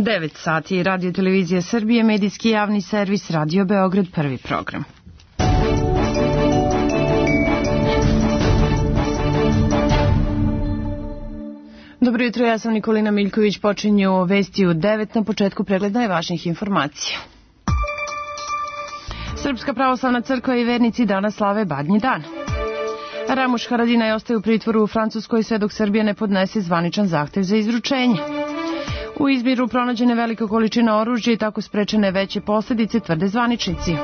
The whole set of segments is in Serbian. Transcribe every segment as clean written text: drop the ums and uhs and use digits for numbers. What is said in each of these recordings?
9 sati, Radio Televizija Srbije, medijski javni servis, Radio Beograd, prvi program. Dobro jutro, ja sam Nikolina Miljković, počinju vesti u 9, na početku pregled najvažnijih informacija. Srpska pravoslavna crkva i vernici danas slave Badnji dan. Ramuš Haradinaj ostaje u pritvoru u Francuskoj sve dok Srbija ne podnese zvaničan zahtev za izručenje. U Izmiru pronađene velika količina oružja i tako sprečene veće posljedice, tvrde zvaničnici.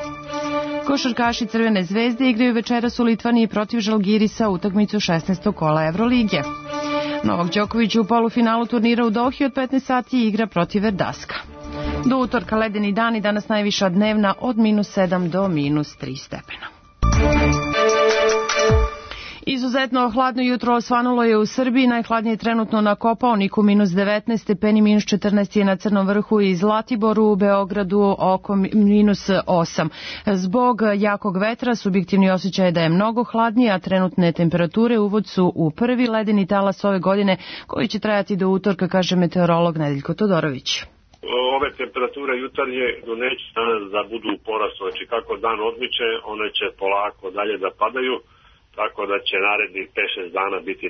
Košarkaši Crvene zvezde igraju večeras u Litvaniji protiv Žalgirisa utakmicu 16. kola Evrolige. Novak Đoković u polufinalu turnira u Dohi od 15 sati igra protiv Verdaska. Do utorka ledeni dan i danas najviša dnevna od -7 do -3 stepena. Izuzetno hladno jutro osvanulo je u Srbiji, najhladnije trenutno na Kopaoniku -19 stepeni, -14 je na Crnom vrhu i Zlatiboru, u Beogradu oko -8. Zbog jakog vetra subjektivni osjećaj je da je mnogo hladnije, a trenutne temperature uvod su u prvi ledeni talas ove godine koji će trajati do utorka, kaže meteorolog Nedeljko Todorović. Ove temperature jutarnje neće danas da budu u porastu, znači kako dan odmiče, one će polako dalje da padaju, tako da će narednih 5-6 dana biti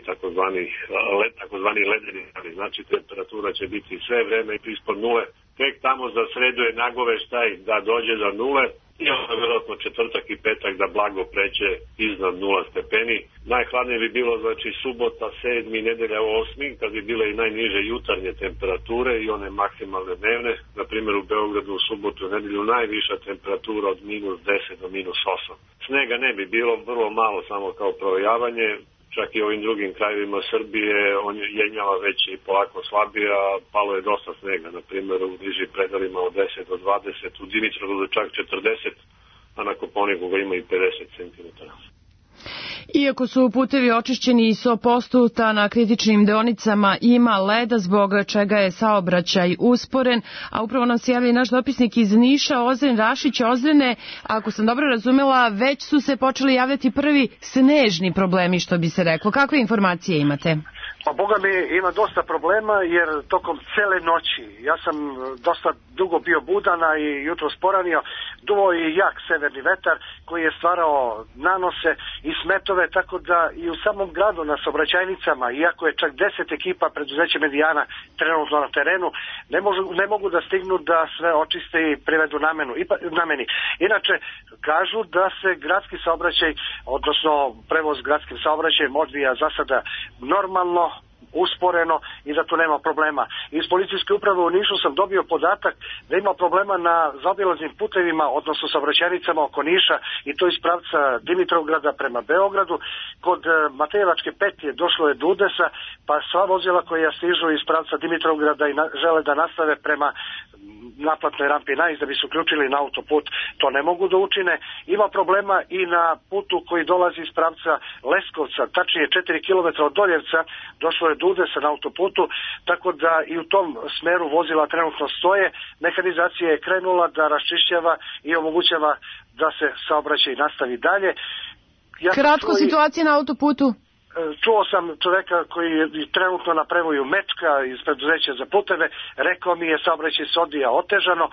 takozvani ledeni dani. Znači temperatura će biti sve vreme ispod nule. Tek tamo za sredu je nagoveštaj da dođe do nule i onda vjerojatno četvrtak i petak da blago pređe iznad 0 stepeni. Najhladnije bi bilo znači subota, 7. nedelja 8. kad bi bile i najniže jutarnje temperature i one maksimalne dnevne. Na primjer u Beogradu u subotu i nedelju najviša temperatura od -10 do -8. Snega ne bi bilo, vrlo malo samo kao provejavanje. Čak i ovim drugim krajevima Srbije on je jenjava već i polako slabije, a palo je dosta snega, na primjer u bliži predalima od 10 do 20, u Dimitrovgradu čak 40, a na Kopaoniku ga ima i 50 cm. Iako su putevi očišćeni i 100%, na kritičnim deonicama ima leda, zbog čega je saobraćaj usporen, a upravo nam se javlja naš dopisnik iz Niša, Ozren Rašić. Ozrene, ako sam dobro razumela, već su se počeli javljati prvi snežni problemi, što bi se reklo. Kakve informacije imate? Pa Boga mi ima dosta problema jer tokom cele noći, ja sam dosta dugo bio budana i jutro sporanio, duvao je jak severni vetar koji je stvarao nanose i smetove, tako da i u samom gradu na saobraćajnicama, iako je čak 10 ekipa preduzeća Medijana trenutno na terenu, ne mogu da stignu da sve očiste i privedu nameni. Inače, kažu da se gradski saobraćaj, odnosno prevoz gradskim saobraćajem odvija za sada normalno, usporeno i da tu nema problema. Iz policijske uprave u Nišu sam dobio podatak da ima problema na zaobilaznim putevima, odnosno saobraćajnicama oko Niša, i to iz pravca Dimitrovgrada prema Beogradu. Kod Matejevačke petlje došlo je do udesa, pa sva vozila koja stižu iz pravca Dimitrovgrada i žele da nastave prema naplatnoj rampi Nais da bi se uključili na autoput, to ne mogu da učine. Ima problema i na putu koji dolazi iz pravca Leskovca, tačnije 4 km od Doljevca, došlo je do udesa na autoputu, tako da i u tom smeru vozila trenutno stoje. Mehanizacija je krenula da raščišćava i omogućava da se saobraćaj nastavi dalje. Kratko situacija na autoputu. Čuo sam čoveka koji je trenutno na prevoju Mečka iz preduzeća za puteve, rekao mi je saobraćaj se odvija otežano,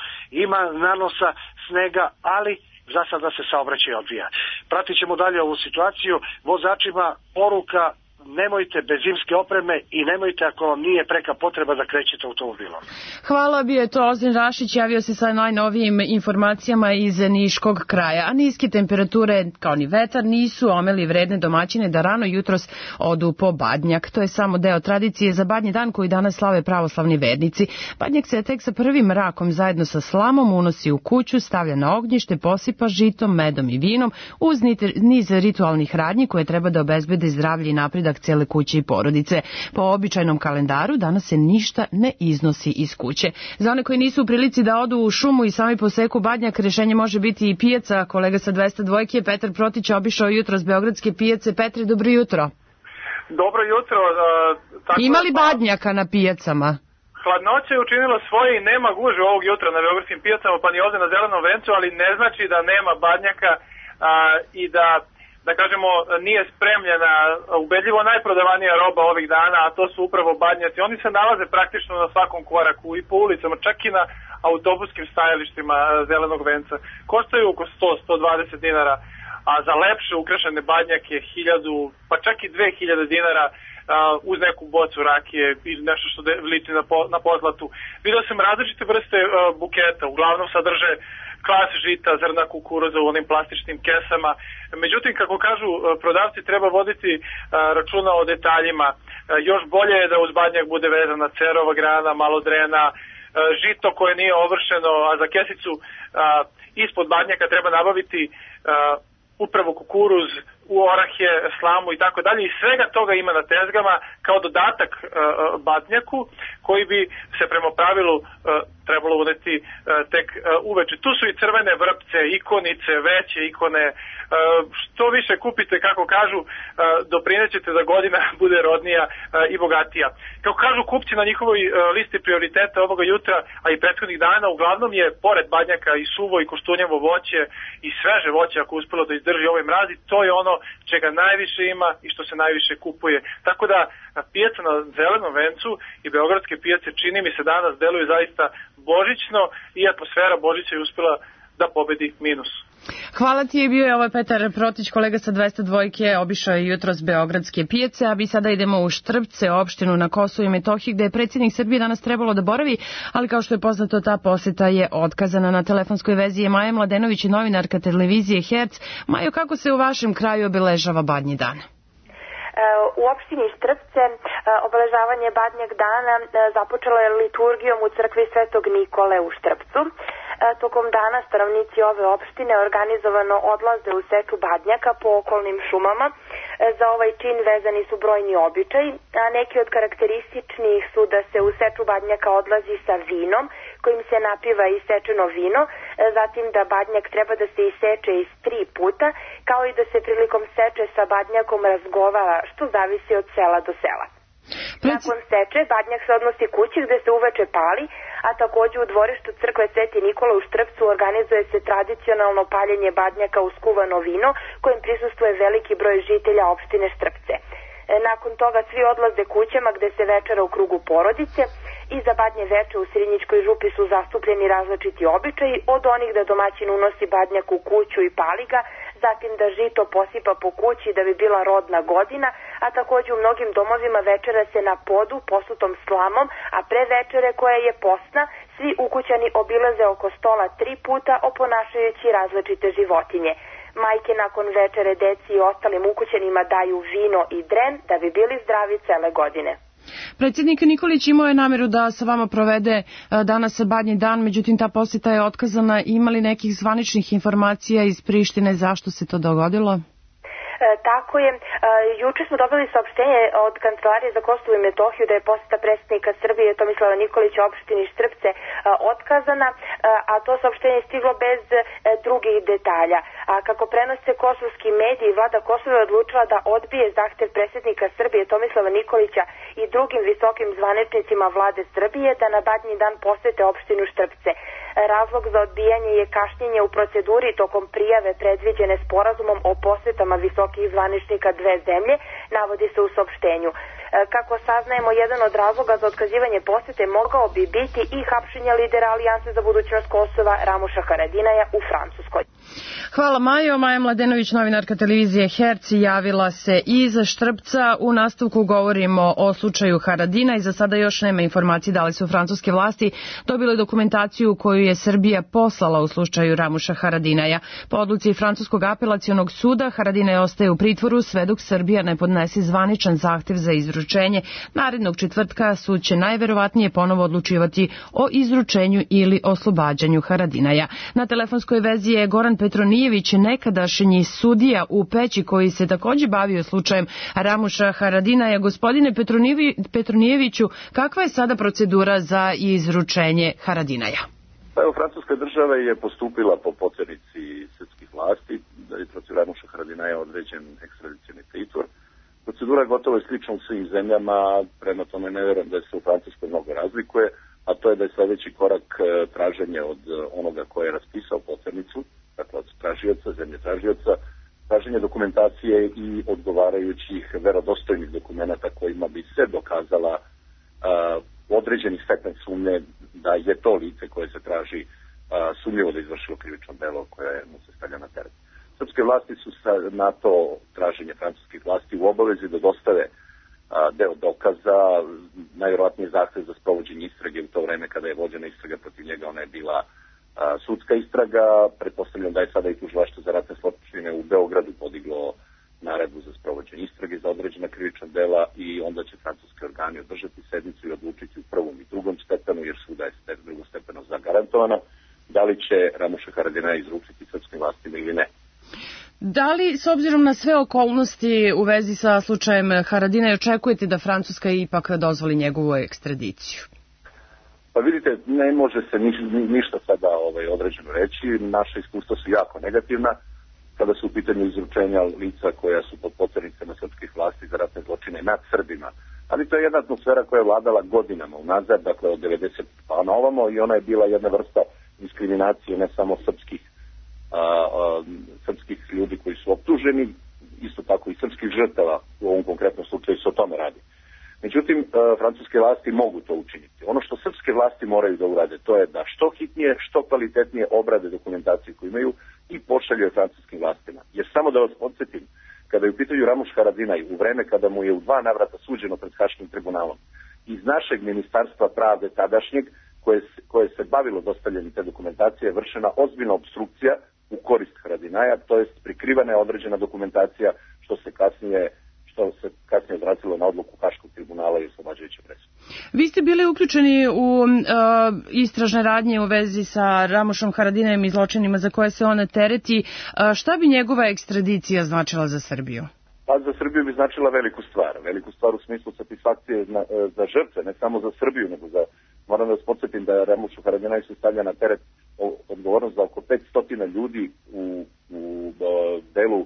ima nanosa snega, ali za sada se saobraćaj odvija. Pratit ćemo dalje ovu situaciju, vozačima poruka: nemojte bez zimske opreme i nemojte ako vam nije preka potreba da krećete automobilom. Hvala, bio je to Ozren Rašić, javio se sa najnovijim informacijama iz Niškog kraja. A niske temperature, kao ni vetar, nisu omeli vredne domaćine da rano jutros odu po badnjak. To je samo deo tradicije za Badnji dan koji danas slave pravoslavni vernici. Badnjak se tek sa prvim mrakom zajedno sa slamom unosi u kuću, stavlja na ognjište, posipa žitom, medom i vinom uz niz ritualnih radnji koje treba da obezbede zdravlje i napredak cele kuće i porodice. Po običajnom kalendaru danas se ništa ne iznosi iz kuće. Za one koji nisu u prilici da odu u šumu i sami poseku badnjak, rešenje može biti i pijaca. Kolega sa 202 je Petar Protić obišao jutro s beogradske pijace. Petre, dobro jutro. Dobro jutro. Ima li badnjaka na pijacama? Hladnoća je učinila svoje i nema guže ovog jutra na beogradskim pijacama, pa ni ovdje na Zelenom vencu, ali ne znači da nema badnjaka i da da kažemo, nije spremljena ubedljivo najprodavanija roba ovih dana, a to su upravo badnjaci. Oni se nalaze praktično na svakom koraku i po ulicama, čak i na autobuskim stajalištima Zelenog venca. Koštaju oko 100-120 dinara, a za lepše ukrašene badnjake 1000, pa čak i 2000 dinara uz neku bocu rakije i nešto što liči na pozlatu. Vidio sam različite vrste buketa, uglavnom sadrže klas žita, zrna kukuruza u onim plastičnim kesama. Međutim, kako kažu prodavci, treba voditi računa o detaljima. Još bolje je da uz badnjak bude vezana cerova grana, malo drena, žito koje nije ovršeno, a za kesicu ispod badnjaka treba nabaviti upravo kukuruz, orahe, slamu i tako dalje, i svega toga ima na tezgama kao dodatak badnjaku koji bi se prema pravilu trebalo uneti tek uveče. Tu su i crvene vrpce, ikonice, veće ikone. Što više kupite, kako kažu, doprinećete da godina bude rodnija i bogatija. Kako kažu kupci na njihovoj listi prioriteta ovoga jutra, a i prethodnih dana, uglavnom je pored badnjaka i suvo i koštunjevo voće i sveže voće, ako uspelo da izdrži ovaj mraz, i to je ono čega najviše ima i što se najviše kupuje. Tako da pijaca na Zelenom vencu i beogradske pijace, čini mi se, danas deluju zaista božićno i atmosfera Božića je uspela da pobedi minus. Hvala ti, bio je ovaj Petar Protić, kolega sa 202, obišao je jutros beogradske pijace, a mi sada idemo u Štrpce, opštinu na Kosovu i Metohiji, gde je predsjednik Srbije danas trebalo da boravi, ali kao što je poznato, ta poseta je otkazana. Na telefonskoj vezi je Maja Mladenović, novinarka televizije Herc. Majo, kako se u vašem kraju obeležava Badnji dan? U opštini Štrpce obeležavanje Badnjeg dana započelo je liturgijom u crkvi Svetog Nikole u Štrpcu. Tokom dana stanovnici ove opštine organizovano odlaze u setu badnjaka po okolnim šumama. Za ovaj čin vezani su brojni običaji, a neki od karakterističnih su da se u setu badnjaka odlazi sa vinom, kojim se napiva isečeno vino, zatim da badnjak treba da se iseče iz 3 puta, kao i da se prilikom seče sa badnjakom razgovara, što zavisi od sela do sela. Nakon seče, badnjak se odnosi kući gde se uveče pali, a takođe u dvorištu crkve Sveti Nikola u Štrpcu organizuje se tradicionalno paljenje badnjaka uz kuvano vino, kojim prisustvuje veliki broj žitelja opštine Štrpce. Nakon toga svi odlaze kućama gde se večera u krugu porodice i za Badnje veče u Srinjičkoj župi su zastupljeni različiti običaji, od onih da domaćin unosi badnjak u kuću i pali ga, zatim da žito posipa po kući da bi bila rodna godina, a takođe u mnogim domovima večera se na podu posutom slamom, a pre večere koja je postna, svi ukućani obilaze oko stola 3 puta oponašajući različite životinje. Majke nakon večere deci i ostalim ukućanima daju vino i dren da bi bili zdravi cele godine. Predsjednik Nikolić imao je nameru da sa vama provede danas Badnji dan, međutim ta posjeta je otkazana. Ima li nekih zvaničnih informacija iz Prištine zašto se to dogodilo? Tako je. Juče smo dobili saopštenje od Kancelarije za Kosovo i Metohiju da je posjeta predsjednika Srbije Tomislava Nikolića opštini Štrpce otkazana, a to saopštenje je stiglo bez drugih detalja. A kako prenose kosovski mediji, vlada Kosova je odlučila da odbije zahtev predsjednika Srbije Tomislava Nikolića i drugim visokim zvaničnicima vlade Srbije da na Badnji dan posete opštinu Štrpce. Razlog za odbijanje je kašnjenje u proceduri tokom prijave predviđene sporazumom o posetama visokih zvaničnika dve zemlje, navodi se u saopštenju. Kako saznajemo, jedan od razloga za otkazivanje posete mogao bi biti i hapšenje lidera Alijanse za budućnost Kosova Ramuša Haradinaja u Francuskoj. Hvala Majo. Maja Mladenović, novinarka televizije Herc, javila se iz Štrpca. U nastavku govorimo o slučaju Haradina i za sada još nema informacije da li su francuske vlasti dobile dokumentaciju koju je Srbija poslala u slučaju Ramuša Haradinaja. Po odluci Francuskog apelacionog suda, Haradinaj ostaje u pritvoru sve dok Srbija ne podnese zvaničan zahtev za izručenje. Narednog četvrtka sud će najverovatnije ponovo odlučivati o izručenju ili oslobađanju Haradinaja. Na telefonskoj vezi je Goran Petronijević, nekadašnji sudija u Peći koji se takođe bavio slučajem Ramuša Haradinaja. Gospodine Petronijeviću, kakva je sada procedura za izručenje Haradinaja? Evo, francuska država je postupila po potvrdici srpskih vlasti da je protiv Ramuša Haradinaja određen ekstradicioni pritvor. Procedura gotovo je slična u svim zemljama, prema tome ne vjerujem da se u Francuskoj mnogo razlikuje, a to je da je sljedeći korak traženje od onoga ko je raspisao potvrnicu, dakle od tražioca, zemlje tražioca, traženje dokumentacije i odgovarajućih verodostojnih dokumenata kojima bi se dokazala određeni stepen sumnje da je to lice koje se traži sumnjivo da izvršilo krivično delo koje mu se stavlja na teret. Srpske vlasti su na to traženje francuskih vlasti u obavezi da dostave deo dokaza, najvjerojatnije zahtev za sprovođenje istrage u to vreme kada je vođena istraga protiv njega, ona je bila sudska istraga. Pretpostavljam da je sada i tužilaštvo za ratne zločine u Beogradu podiglo naredbu za sprovođenje istrage za određena krivična dela i onda će francuski organi održati sednicu i odlučiti u prvom i drugom stepenu, jer svuda je drugostepeno zagarantovana, da li će Ramuša Haradinaja izručiti srpskim vlastima ili ne. Da li, s obzirom na sve okolnosti u vezi sa slučajem Haradinaja, očekujete da Francuska ipak dozvoli njegovu ekstradiciju? Pa vidite, ne može se ništa sada određeno reći. Naše iskustva su jako negativna kada su u pitanju izručenja lica koja su pod poternicama srpskih vlasti za ratne zločine nad Srbima. Ali to je jedna atmosfera koja je vladala godinama unazad, dakle od 90 pa na ovamo, i ona je bila jedna vrsta diskriminacije ne samo srpskih ljudi koji su optuženi, isto tako i srpskih žrtava, u ovom konkretnom slučaju se o tome radi. Međutim, francuske vlasti mogu to učiniti. Ono što srpske vlasti moraju da urade, to je da što hitnije, što kvalitetnije obrade dokumentaciju koju imaju i pošalju francuskim vlastima. Jer samo da vas podsjetim, kada je u pitanju Ramuš Haradinaj, u vreme kada mu je u 2 navrata suđeno pred Haškim tribunalom, iz našeg ministarstva pravde tadašnjeg, koje se bavilo dostavljanjem te dokumentacije, je vršena ozbiljna obstrukcija u korist Haradinaja, to jest prikrivana je određena dokumentacija što se kasnije odrazilo na odluku Haškog tribunala i oslobađajuće presude. Vi ste bili uključeni u istražne radnje u vezi sa Ramušom Haradinajem i zločinima za koje se on tereti. Šta bi njegova ekstradicija značila za Srbiju? Pa za Srbiju bi značila veliku stvar u smislu satisfakcije za žrtve, ne samo za Srbiju, nego moram da vas podsjetim da Ramušu Haradinaju se stavlja na teret odgovornost za oko 500 ljudi u delu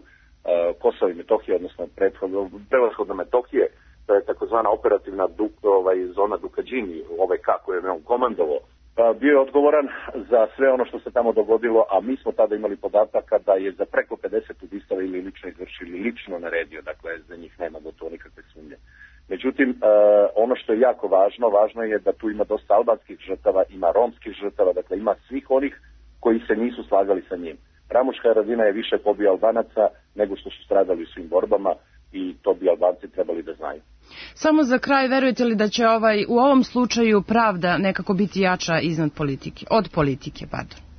Kosova i Metohije, odnosno prevashodno Metohije. To je takozvana operativna zona Dukadžini, OVK koju je on komandovao. Bio je odgovoran za sve ono što se tamo dogodilo, a mi smo tada imali podataka da je za preko 50 ubistava ili lično izvršili, lično naredio, dakle za njih nema gotovo nikakve sumnje. Međutim, ono što je jako važno je da tu ima dosta albanskih žrtava, ima romskih žrtava, dakle ima svih onih koji se nisu slagali sa njim. Ramuš Haradinaj je više pobio Albanaca nego što su stradali u svim borbama i to bi Albanci trebali da znaju. Samo za kraj, verujete li da će u ovom slučaju pravda nekako biti jača od politike?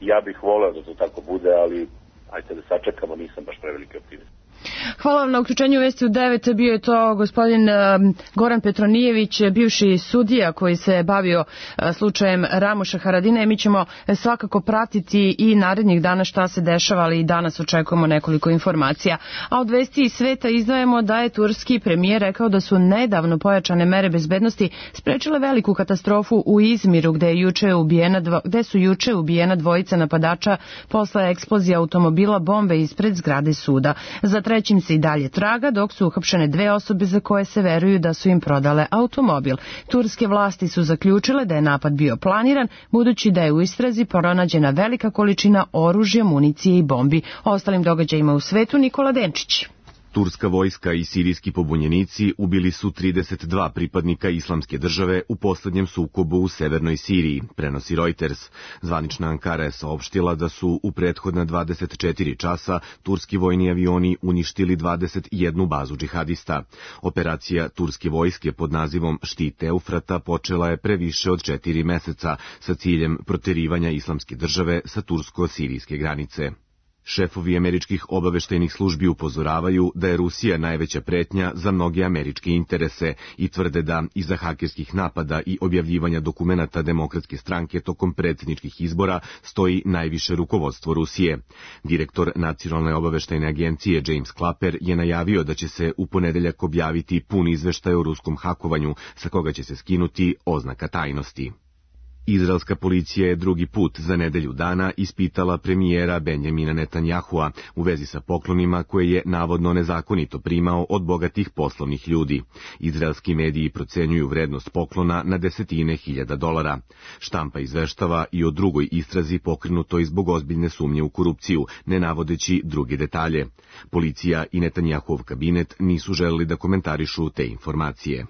Ja bih voleo da to tako bude, ali ajte da sačekamo, nisam baš preveliki optimist. Hvala vam na uključenju Vesti u 9. Bio je to gospodin Goran Petronijević, bivši sudija koji se bavio slučajem Ramuša Haradinaja. Mi ćemo svakako pratiti i narednih dana šta se dešava, ali i danas očekujemo nekoliko informacija. A od Vesti iz sveta izdvajamo da je turski premijer rekao da su nedavno pojačane mere bezbednosti sprečile veliku katastrofu u Izmiru gde su juče ubijena dvojica napadača posle eksplozije automobila bombe ispred zgrade suda. Za trećim se i dalje traga, dok su uhapšene 2 osobe za koje se veruju da su im prodale automobil. Turske vlasti su zaključile da je napad bio planiran, budući da je u istrazi pronađena velika količina oružja, municije i bombi. O ostalim događajima u svetu Nikola Denčić. Turska vojska i sirijski pobunjenici ubili su 32 pripadnika Islamske države u poslednjem sukobu u severnoj Siriji, prenosi Reuters. Zvanična Ankara je saopštila da su u prethodna 24 časa turski vojni avioni uništili 21 bazu džihadista. Operacija turske vojske pod nazivom Štit Eufrata počela je pre više od 4 meseca sa ciljem proterivanja Islamske države sa tursko-sirijske granice. Šefovi američkih obaveštajnih službi upozoravaju da je Rusija najveća pretnja za mnoge američke interese i tvrde da iza hakerskih napada i objavljivanja dokumenata Demokratske stranke tokom predsjedničkih izbora stoji najviše rukovodstvo Rusije. Direktor Nacionalne obaveštajne agencije James Clapper je najavio da će se u ponedeljak objaviti pun izveštaj o ruskom hakovanju sa koga će se skinuti oznaka tajnosti. Izraelska policija je drugi put za nedelju dana ispitala premijera Benjamina Netanjahua u vezi sa poklonima koje je navodno nezakonito primao od bogatih poslovnih ljudi. Izraelski mediji procenjuju vrednost poklona na desetine hiljada dolara. Štampa izveštava i o drugoj istrazi pokrenutoj zbog ozbiljne sumnje u korupciju, ne navodeći druge detalje. Policija i Netanjahuov kabinet nisu želeli da komentarišu te informacije.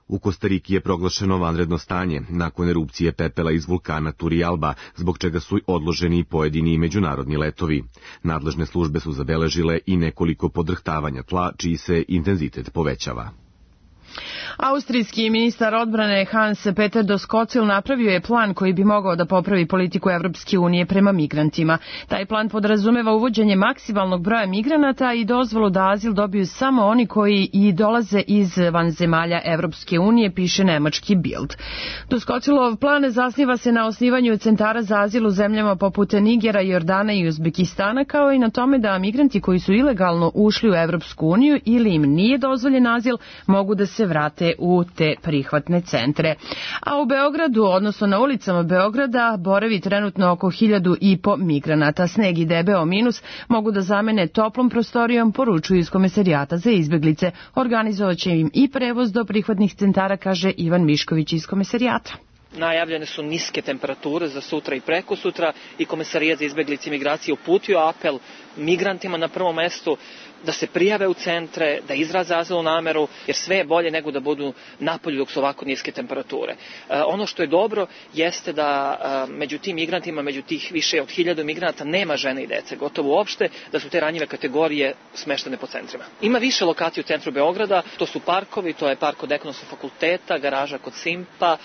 U Kostariki je proglašeno vanredno stanje nakon erupcije pepela iz vulkana Turrialba, zbog čega su odloženi pojedini međunarodni letovi. Nadležne službe su zabeležile i nekoliko podrhtavanja tla, čiji se intenzitet povećava. Austrijski ministar odbrane Hans Peter Doskozil napravio je plan koji bi mogao da popravi politiku Evropske unije prema migrantima. Taj plan podrazumeva uvođenje maksimalnog broja migranata i dozvolu da azil dobiju samo oni koji i dolaze iz vanzemalja Evropske unije, piše nemački Bild. Doskozilov plan zasniva se na osnivanju centara za azil u zemljama poput Nigera, Jordana i Uzbekistana, kao i na tome da migranti koji su ilegalno ušli u Evropsku uniju ili im nije dozvoljen azil mogu da se vrate u te prihvatne centre. A u Beogradu, odnosno na ulicama Beograda, boravi trenutno oko 1.500 migranata. Sneg i debeo minus mogu da zamene toplom prostorijom, poručuju iz Komesarijata za izbeglice. Organizovaće im i prevoz do prihvatnih centara, kaže Ivan Mišković iz Komesarijata. Najavljene su niske temperature za sutra i prekosutra i Komesarijat za izbeglice i migracije uputio apel migrantima na prvom mestu da se prijave u centre, da izraze azilnu nameru, jer sve je bolje nego da budu napolju dok su ovako niske temperature. Ono što je dobro jeste da među tim migrantima, među tih više od 1000 migranata nema žene i dece, gotovo uopšte, da su te ranjive kategorije smeštene po centrima. Ima više lokacija u centru Beograda, to su parkovi, to je park kod Ekonomskog fakulteta, garaža kod Simpa,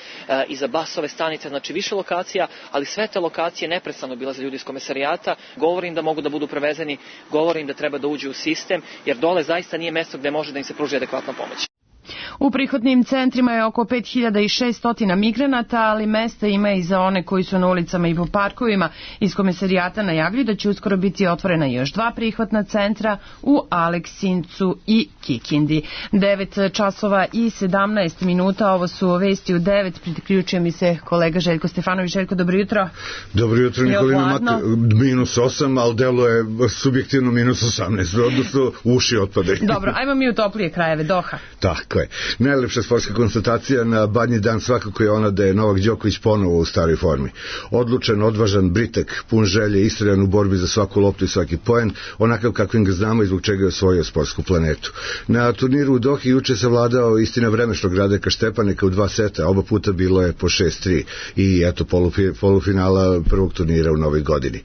iza Basove stanice, znači više lokacija, ali sve te lokacije neprestano obilaze ljudi iz Komesarijata, govorim da mogu da budu prevezeni, govorim da treba da uđu u sistem, jer dole zaista nije mesto gde može da im se pruži adekvatna pomoć. U prihvatnim centrima je oko 5600 migranata, ali mesta ima i za one koji su na ulicama i po parkovima. Iz Komesarijata najavljuju da će uskoro biti otvorena još 2 prihvatna centra u Aleksincu i Kikindi. 9 časova i 17 minuta, ovo su vesti u 9, priključuje mi se kolega Željko Stefanović. Željko, dobro jutro. Dobro jutro, Nikolina, -8, ali delo je subjektivno -18, odnosno uši otpadaju. Dobro, ajmo mi u toplije krajeve, Doha. Tako je. Najlepša sportska konstatacija na Badnji dan svakako je ona da je Novak Đoković ponovo u staroj formi. Odlučan, odvažan, britak, pun želje, istrajan u borbi za svaku loptu i svaki poen, onakav kakvim ga znamo i zbog čega je osvojio sportsku planetu. Na turniru u Dohi juče se vladao istina vremešnog Radeka Štepaneka u 2 seta, oba puta bilo je po 6-3 i eto polufinala prvog turnira u novoj godini.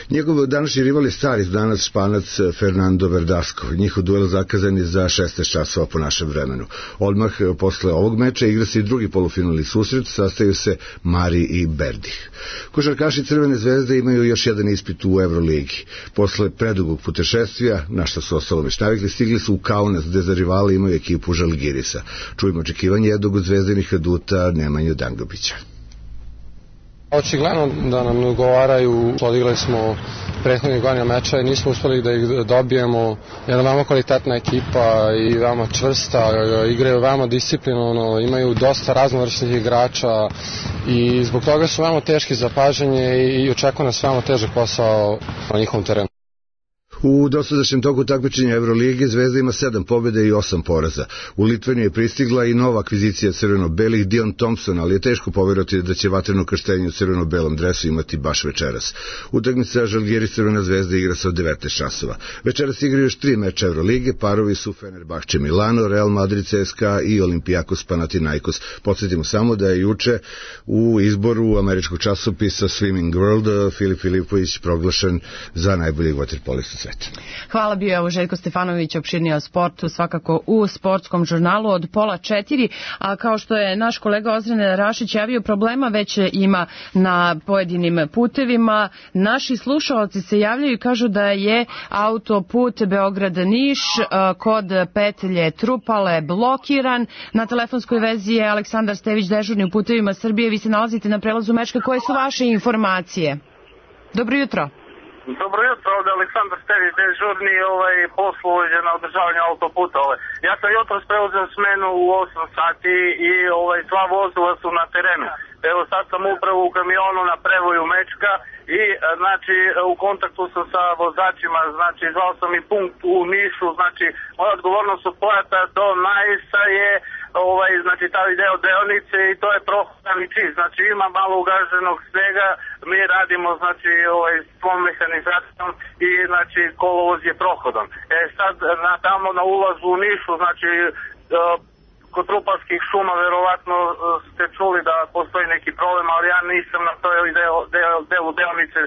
Njegov današnji rival je stari danas Španac Fernando Verdasco. Njihov duel zakazan je za 16 časova po našem vremenu. Odmah posle ovog meča igra se i drugi polufinalni susret, sastaju se Mari i Berdih. Košarkaši Crvene zvezde imaju još jedan ispit u Euroligi. Posle predugog putešestvija, na što su ostalo već navikli, stigli su u Kaunas, gde za rivale imaju ekipu Žalgirisa. Čujemo očekivanje jednog od zvezdinih aduta Nemanju Dangobića. Očigledno da nam ne ugovaraju, odigrali smo prethodnih godina meča i nismo uspeli da ih dobijemo. Jedna veoma kvalitetna ekipa i veoma čvrsta, igraju veoma disciplinovano, imaju dosta raznovrsnih igrača i zbog toga su veoma teški za paženje i očekuje nas veoma težak posao na njihovom terenu. U dosadašnjem toku takmičenja Evrolige Zvezda ima 7 pobjeda i 8 poraza. U Litvani je pristigla i nova akvizicija crveno-belih Dion Thompson, ali je teško poverovati da će vatreno krštenje u crveno-belom dresu imati baš večeras. Utakmica Žalgiris Crvena zvezda igra se od 19 časova. Večeras igraju još 3 meča Evrolige, parovi su Fenerbahče Milano, Real Madrid CSKA i Olympiakos Panathinaikos. Podsjetimo samo da je juče u izboru američkog časopisa Swimming World Filip Filipović proglašen za najboljeg vaterpolistu sveta. Hvala, bio je ovo Željko Stefanović, opširnije o sportu, svakako u sportskom žurnalu od 3:30, a kao što je naš kolega Ozren Rašić javio, problema već ima na pojedinim putevima. Naši slušalci se javljaju i kažu da je autoput Beograd-Niš kod petlje Trupale blokiran. Na telefonskoj vezi je Aleksandar Stević, dežurni u Putevima Srbije. Vi se nalazite na prelazu Mečka. Koje su vaše informacije? Dobro jutro. Dobro jutro, ovdje Aleksandar Stević, dežurni poslovođe na održavanju autoputa. Ja sam jutros preuzeo smenu u 8 sati i sva vozila su na terenu. Evo sad sam upravo u kamionu na prevoju Mečka i znači u kontaktu sam sa vozačima, znači zvao sam i punkt u Nišu, znači moja odgovornost od Pojata do Najsa je znači taj deo deonice i to je prohodan i čist, znači ima malo ugaženog snega, mi radimo znači svom mehanizacijom i znači kolovoz je prohodan. Sad tamo na ulazu u Nišu, znači kod Rupalskih šuma verovatno ste čuli da postoji neki problem, ali ja nisam na toj delu deonice,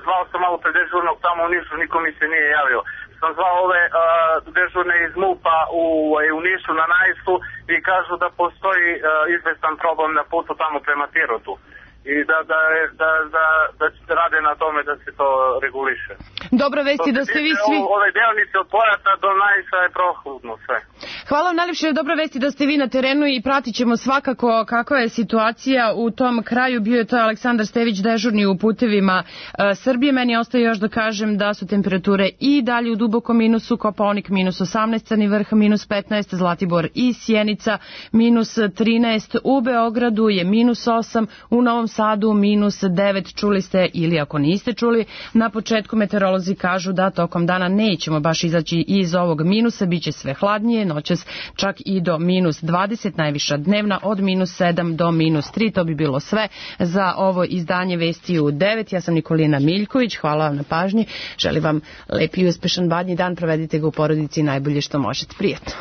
zvao sam malo pre dežurnog tamo u Nišu, niko mi se nije javio. Sam zvao ove dežurne iz MUP-a u Nišu na Najsu i kažu da postoji izvestan problem na putu tamo prema Pirotu i da rade na tome da se to reguliše. Dobra vesti da ste vi svi... Ove deonice od Pojata do Najsa je prohodno sve. Hvala vam najljepše, dobra vesti da ste vi na terenu i pratit ćemo svakako kakva je situacija u tom kraju. Bio je to Aleksandar Stević, dežurni u putevima Srbije. Meni ostaje još da kažem da su temperature i dalje u dubokom minusu, Kopaonik minus 18, Crni vrh minus 15, Zlatibor i Sjenica minus 13, u Beogradu je minus 8, u Novom Sadu minus 9, čuli ste ili ako niste čuli, na početku meteorolozi kažu da tokom dana nećemo baš izaći iz ovog minusa, bit će sve hladnije, noćas čak i do minus 20, najviša dnevna od minus 7 do minus 3, to bi bilo sve za ovo izdanje Vesti u 9. Ja sam Nikolina Miljković, hvala vam na pažnji, želim vam lep i uspešan badnji dan, provedite ga u porodici najbolje što možete, prijatno.